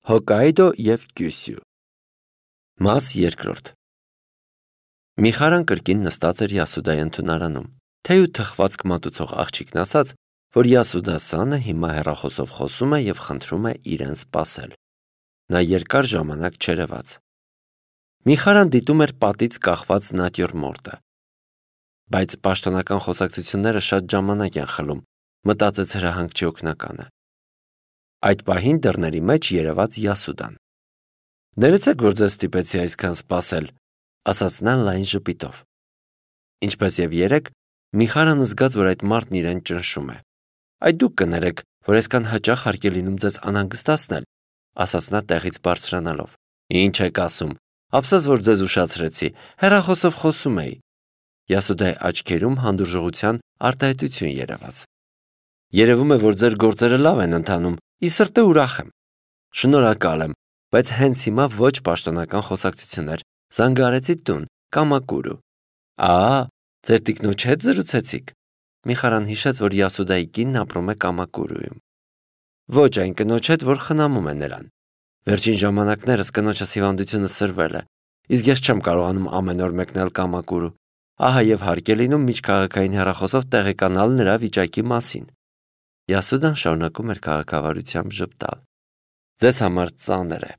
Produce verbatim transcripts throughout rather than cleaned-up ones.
Հոկայդո և Կյուսյու։ Մաս երկրորդ։ Միխարան կրկին նստած էր Յասուդայի ընդունարանում, թեյ ու թխվածք մատուցող աղջիկն ասաց, որ Յասուդա Սանը հիմա հեռախոսով խոսում է և խնդրում է իրեն սպասել։ Նա երկար ժամանակ չերևաց։ Միխարան դիտում էր պատից կախված նատյուրմորտը։ Բայց պաշտոնական խոսակցությունները շատ ժամանակ են խլում, մտածեց հրահանգչի օգնականը։ Այդ պահին դռների մեջ երևաց Յասուդան։ Ներեցեք, որ ձեզ ստիպեցի այսքան սպասել, ասաց նա լայն ժպիտով։ Ինչպես եւ երեկ, Միխարան զգաց, որ այդ մարդն իրեն ճնշում է։ Այդ դուք կներեք, որ այսքան հաճախ հարկ է լինում ձեզ անհանգստացնել, ասաց նա տեղից բարձրանալով։ Ինչ եք ասում, ափսոս, որ ձեզ ուշացրեցի, հեռախոսով խոսում էի։ Յասուդայի աչքերում հանդուրժողության արտահայտություն երևաց։ Երևում է, որ ձեր գործերը լավ են ընթանում, ի սրտե ուրախ եմ։ Շնորհակալ եմ, բայց հենց հիմա ոչ պաշտոնական խոսակցություններ, զանգարեցի տուն, Կամակուրու։ Ահա, ձեր տիկնոջ հետ զրուցեցիք։ Միխարան հիշեց, որ Յասուդայի կինն ապրում է Կամակուրուում։ Ոչ այն կնոջ հետ, որ խնամում է նրան։ Վերջին ժամանակներս կնոջս հիվանդությունը սրվել է, իսկ ես չեմ կարողանում ամեն օր մեկնել Կամակուրու։ Ահա եւ հարկ է լինում միջքաղաքային հեռախոսով տեղեկանալ նրա վիճակի մասին։ Յասուդան շարունակում էր քաղաքավարությամբ ժպտալ։ Ձեզ համար ծանր է։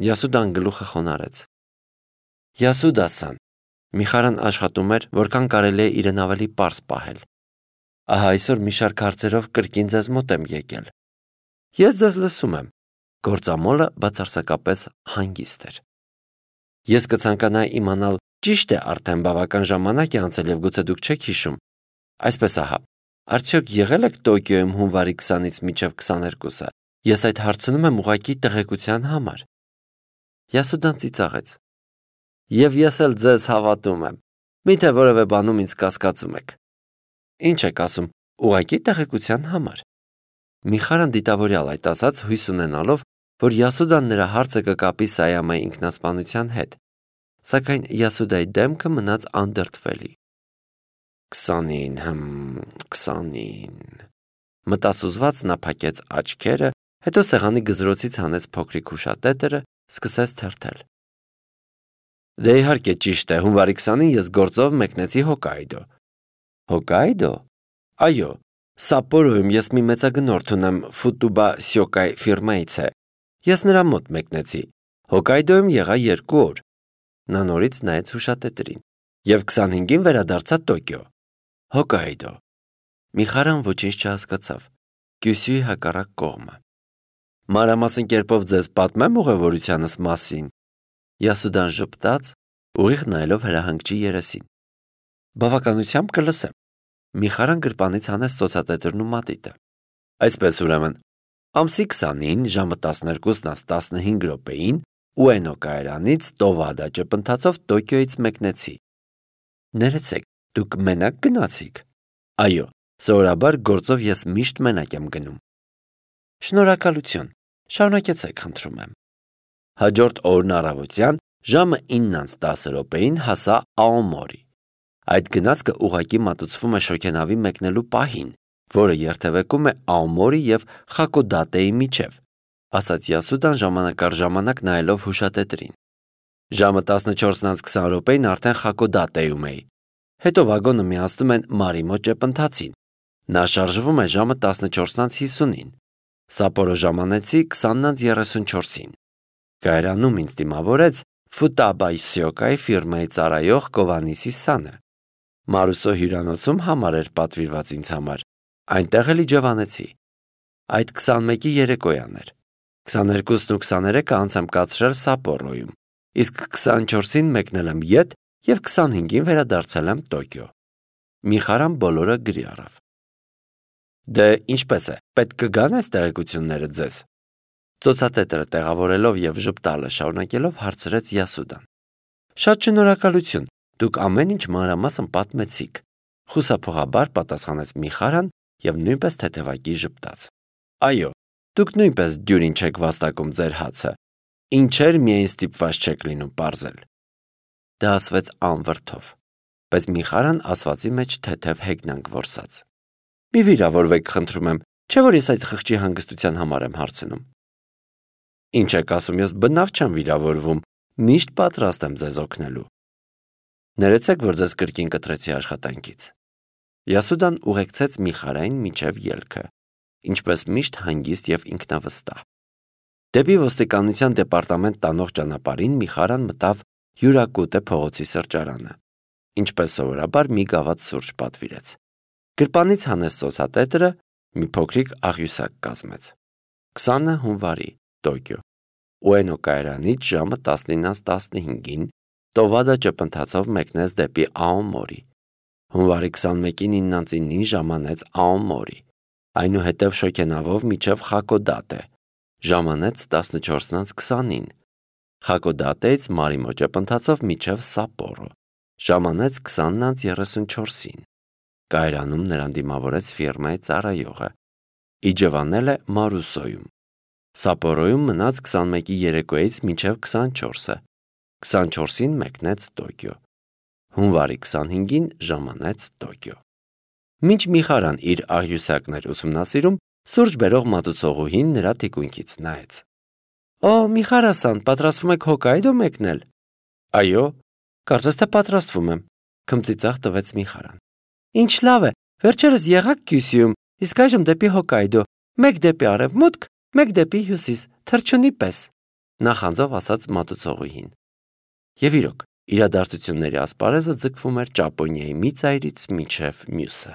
Յասուդան գլուխը խոնարհեց։ Յասուդա-սան, Միխարան աշխատում էր, որքան կարելի է իրեն ավելի պարզ պահել։ Ահա այսօր մի շարք հարցերով կրկին ձեզ մոտ եմ եկել։ Ես ձեզ լսում եմ։ Գործամոլը բացարձակապես հանգիստ էր։ Ես կցանկանայի իմանալ, ճիշտ է, արդեն բավական ժամանակ է անցել եւ գուցե դուք չեք հիշում։ Այսպես ահա, արդյոք եղել եք Տոկիոյում հունվարի քսանից մինչև քսաներկուսը։ Ես այդ հարցնում եմ ուղղակի տեղեկության համար։ Յասուդան ծիծաղեց։ Եվ ես էլ ձեզ հավատում եմ։ Միթե որևէ բանում ինձ կասկածում եք։ Ինչ եք ասում, ուղղակի տեղեկության համար։ Միխարան դիտավորյալ այդ ասաց, հույս ունենալով, որ Յասուդան նրա հարցը կկապի Սայամայի ինքնասպանության հետ, սակայն Յասուդայի դեմքը մնաց անդրդվելի։ Քսանին, հմ, քսանին։ Մտասուզված նա փակեց աչքերը, հետո սեղանի գզրոցից հանեց փոքրիկ հուշատետրը, սկսեց թերթել։ Դե իհարկե ճիշտ է, հունվարի քսանին ես գործով մեկնեցի Հոկայդո։ Հոկայդո։ Այո, Սապորոյում ես մի մեծագնորդ ունեմ, Ֆուտուբա Սյոկայ ֆիրմայից է։ Ես նրա մոտ մեկնեցի։ Հոկայդոյում եղա երկու օր։ Նա նորից նայեց հուշատետրին։ Եվ քսանհինգին վերադարձա Տոկիո։ Հոկայդո։ Միխարան ոչինչ չհասկացավ։ Կյուսյուի հակառակ կողմը։ Մանրամասն կերպով ձեզ պատմեմ ուղևորությանս մասին։ Յասուդան ժպտաց, ուղիղ նայելով հրահանգչի երեսին։ Բավականությամբ կլսեմ։ Միխարան գրպանից հանեց ծոցատետրն ու մատիտը։ Այսպես ուրեմն, ամսի քսանին ժամը տասներկուսն աստ տասնհինգ րոպեին Ուենո կայարանից Տովադա ճպընթացով Տոկիոյից մեկնեցի։ Ներեցեք, դուք մենակ գնացիք։ Այո, սովորաբար գործով ես միշտ մենակ եմ գնում։ Շնորհակալություն, շարունակեցեք, խնդրում եմ։ Հաջորդ օրն առավոտյան ժամը ինն անց տասը րոպեին հասա Աոմորի։ Այդ գնացքը ուղղակի մատուցվում է շոգենավի մեկնելու պահին, որը երթևեկում է Աոմորի եւ Խակոդատեի միջև, ասաց Յասուդան ժամանակ առ ժամանակ նայելով հուշատետրին։ Ժամը տասնչորսն անց քսան րոպեին արդեն Խակոդատեում էի։ Հետո վագոնը միացնում են Մարիմո ճեպընթացին։ Նա շարժվում է ժամը տասնչորսն անց հիսունին։ Սապորո ժամանեցի քսանն անց երեսունչորսին։ Կայարանում ինձ դիմավորեց Ֆուտաբա Սյոկայ ֆիրմայի ծառայող Կովանիսի Սանը։ Մարուսո հյուրանոցում համար էր պատվիրված ինձ համար։ Այնտեղ էլ իջևանեցի։ Այդ քսանմեկի երեկոյան էր։ քսաներկուսն ու քսաներեքը անց եմ կացրել Սապորոյում, իսկ քսանչորսին մեկնել եմ ետ եւ քսանհինգին վերադարձել եմ Տոկիո։ Միխարան բոլորը գրի առավ։ Դե ինչպես է, պետք կգան այս տեղեկությունները ձեզ։ Ծոցատետրը տեղավորելով եւ ժպտալը շարունակելով հարցրեց Յասուդան։ Շատ շնորհակալություն, դուք ամեն ինչ մանրամասն պատմեցիք։ Խուսափողաբար պատասխանեց Միխարան եւ նույնպես թեթևակի ժպտաց։ Այո, դուք նույնպես դյուրին չեք վաստակում ձեր հացը։ Ինչեր միայն ստիպված չեք լինում պարզել։ Դա ասվեց անվրդով, բայց Միխարան ասվածի մեջ թեթև հեգնանք որսաց։ Մի վիրավորվեք, խնդրում եմ, չէ՞ որ ես այդ խղճի հանգստության համար եմ հարցնում։ Ինչ եք ասում, ես բնավ չեմ վիրավորվում, միշտ պատրաստ եմ ձեզ օգնելու։ Ներեցեք, որ ձեզ կրկին կտրեցի աշխատանքից։ Յասուդան ուղեկցեց Միխարային մինչև ելքը, ինչպես միշտ հանգիստ և ինքնավստահ։ Դեպի ոստիկանության դեպարտամենտ տանող ճանապարհին Միխարան մտավ Յուրակուտե փողոցի սրճարանը, ինչպես սովորաբար մի գավաթ սուրճ պատվիրեց։ Գրպանից հանեց սոցատետրը, մի փոքրիկ աղյուսակ կազմեց։ քսանը հունվարի, Տոկիո։ Ուենո կայարանից ժամը տասնինից տասնհինգին Տովադա ճպընթացով մեկնեց դեպի Աոմորի։ Հունվարի քսանմեկին իննանց իննին ժամանեց Աոմորի, այնուհետև Շոքենավով մինչև Խակոդատե, ժամանեց տասնչորսից քսանին, Խակոդատեից Մարիմո ճպընթացով մինչև Սապորո, ժամանեց քսանից երեսունչորսին։ Կայարանում նրան դիմավորեց ֆիրմայի ծառայողը, իջևանել է Մարուսոյում։ Սապորոյում մնաց քսանմեկի երեկոյից մինչև քսանչորսը, քսանչորսին մեկնեց Տոկիո։ Հունվարի քսանհինգին ժամանեց Տոկիո։ Մինչ Միխարան իր աղյուսակն էր ուսումնասիրում, սուրճ բերող մատուցողուհին նրա թիկունքից նայեց։ Օ, Միխարասան, պատրաստվում եք Հոկայդո մեկնել։ Այո, կարծես թե պատրաստվում եմ, քմծիծաղ տվեց Միխարան։ Ինչ լավ է, վերջերս եղաք Կյուսյուում, իսկ այժմ դեպի Հոկայդո, մեկ դեպի արևմուտք, մեկ դեպի հյուսիս, թռչունի պես, նախանձով ասաց մատուցողուհին։ Եվ իրոք, իրադարձությունների ասպարեզը ձգվում էր Ճապոնիայի մի ծայրից մինչև մյուսը։